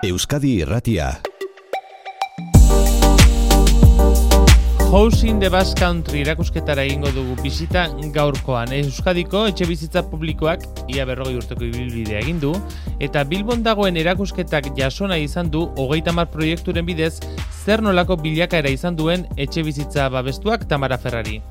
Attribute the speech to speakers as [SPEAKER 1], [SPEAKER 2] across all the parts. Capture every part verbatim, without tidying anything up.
[SPEAKER 1] Euskadi Irratia.
[SPEAKER 2] House in the Basque Country erakusketara egingo dugu bisita gaurkoan. Euskadiko etxebizitza publikoak ia berrogei urteko ibilbidea egin du, eta Bilbon dagoen erakusketak jasona izan du hogeita hamar proiekturen bidez zer nolako bilakaera izan duen etxebizitza babestuak Tamara Ferrari.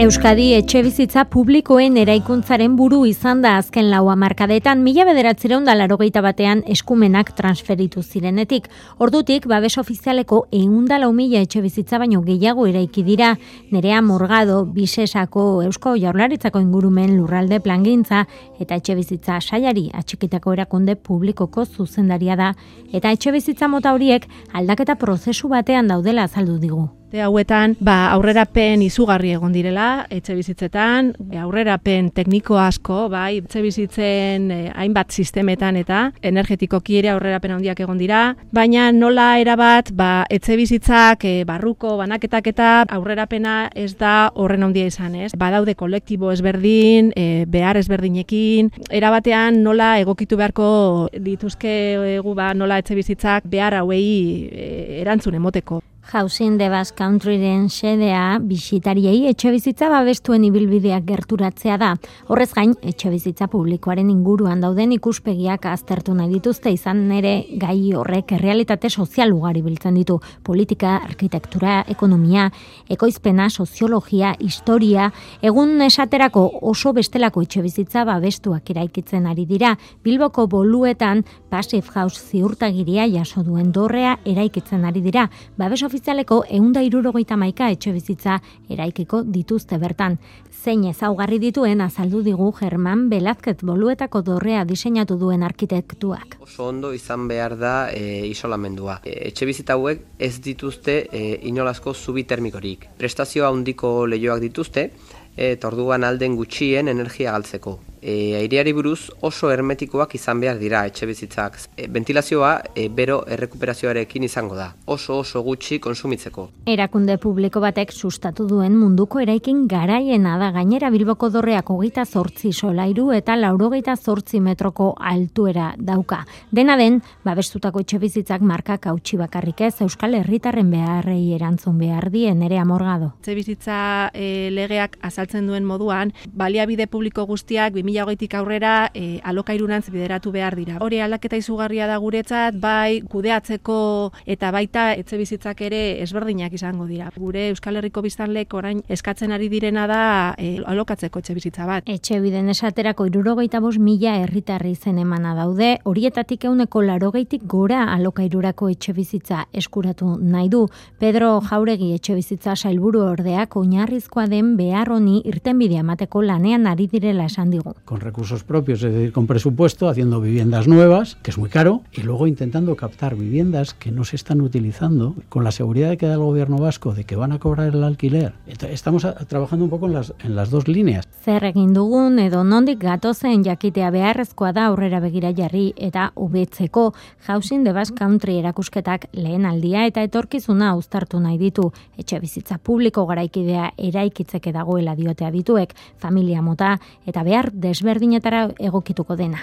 [SPEAKER 3] Euskadi etxebizitza publikoen eraikuntzaren buru izan da azken lau hamarkadetan, mila bederatziehun eta laurogeita batean eskumenak transferitu zirenetik. Ordutik, babes ofizialeko ehun eta lau mila etxebizitza baino gehiago eraiki dira. Nerea Morgado, Bisesako Eusko Jaurlaritzako ingurumen lurralde plangintza eta etxebizitza sailari atxikitako erakunde publikoko zuzendaria da, eta etxebizitza mota horiek aldaketa prozesu batean daudela azaldu digu.
[SPEAKER 4] Hauetan, ba, aurrerapen izugarri egon direla, etxe bizitzetan, aurrerapen tekniko asko, bai, etxe bizitzen eh, hainbat sistemetan eta energetikoki ere aurrerapen handiak egon dira, baina nola erabat, ba, etxe bizitzak, eh, barruko, banaketak eta aurrerapena ez da horren handia izan, ez? Badaude kolektibo ezberdin, eh, behar ezberdinekin, erabatean nola egokitu beharko dituzkegu, ba, nola etxe bizitzak behar hauei eh, erantzun emoteko.
[SPEAKER 3] House in the Basque Countryren xedea bisitariei etxebizitza babestuen ibilbideak gerturatzea da. Horrez gain, etxebizitza publikoaren inguruan dauden ikuspegiak aztertu nahi dituzte, izan ere gai horrek errealitate sozial ugari biltzen ditu. Politika, arkitektura, ekonomia, ekoizpena, soziologia, historia, egun esaterako oso bestelako etxebizitza babestuak eraikitzen ari dira. Bilboko boluetan Passive House ziurtagiria jaso duen dorrea eraikitzen ari dira. Babes ofizialeko ehun eta hirurogeita hamaika etxebizitza eraikiko dituzte bertan. Zein ezaugarri dituen azaldu digu Germán Velázquez boluetako dorrea diseinatu duen arkitektuak.
[SPEAKER 5] Oso ondo izan behar da e, isolamendua. E, etxebizitza hauek ez dituzte e, inolazko zubi termikorik. Prestazio handiko leihoak dituzte, eta orduan alden gutxien energia galtzeko. E, aireari buruz oso hermetikoak izan behar dira etxebizitzak. E, ventilazioa e, bero errekuperazioarekin izango da, oso oso gutxi konsumitzeko.
[SPEAKER 3] Erakunde publiko batek sustatu duen munduko eraikin garaiena da, gainera Bilboko dorreak hogeita zortzi solairu eta laurogeita zortzi metroko altuera dauka. Dena den, babestutako etxebizitzak markak hautsi bakarrik ez, Euskal Herritarren beharrei erantzun behar die. Nerea Morgado.
[SPEAKER 4] Etxebizitza e, legeak azaltzen duen moduan, baliabide publiko guztiak bi mila hogeitik aurrera e, alokairurantz bideratu behar dira. Hori aldaketa izugarria da guretzat, bai kudeatzeko eta baita etxebizitzak ere ezberdinak izango dira. Gure Euskal Herriko biztanleek orain eskatzen ari direna da e, alokatzeko etxebizitza bat.
[SPEAKER 3] Etxebiden esaterako hirurogeita bost mila herritarri izen emana daude, horietatik ehuneko laurogeitik gora alokairurako etxebizitza eskuratu nahi du. Pedro Jauregi etxebizitza sailburu ordeak oinarrizkoa den behar honi irtenbidea emateko lanean ari direla esan digu.
[SPEAKER 6] Con recursos propios, es decir, con presupuesto, haciendo viviendas nuevas, que es muy caro, y luego intentando captar viviendas que no se están utilizando, con la seguridad que da el gobierno vasco de que van a cobrar el alquiler. Entonces, estamos a, trabajando un poco en las, en las dos líneas.
[SPEAKER 3] Zer egin dugun edo nondik gatozen jakitea beharrezkoa da aurrera begira jarri eta hobetzeko. House in the Basque Country erakusketak lehen aldia eta etorkizuna uztartu nahi ditu. Etxebizitza publiko garaikidea eraikitzeke dagoela diote adituek, familia mota eta behar desberdinetara egokituko dena.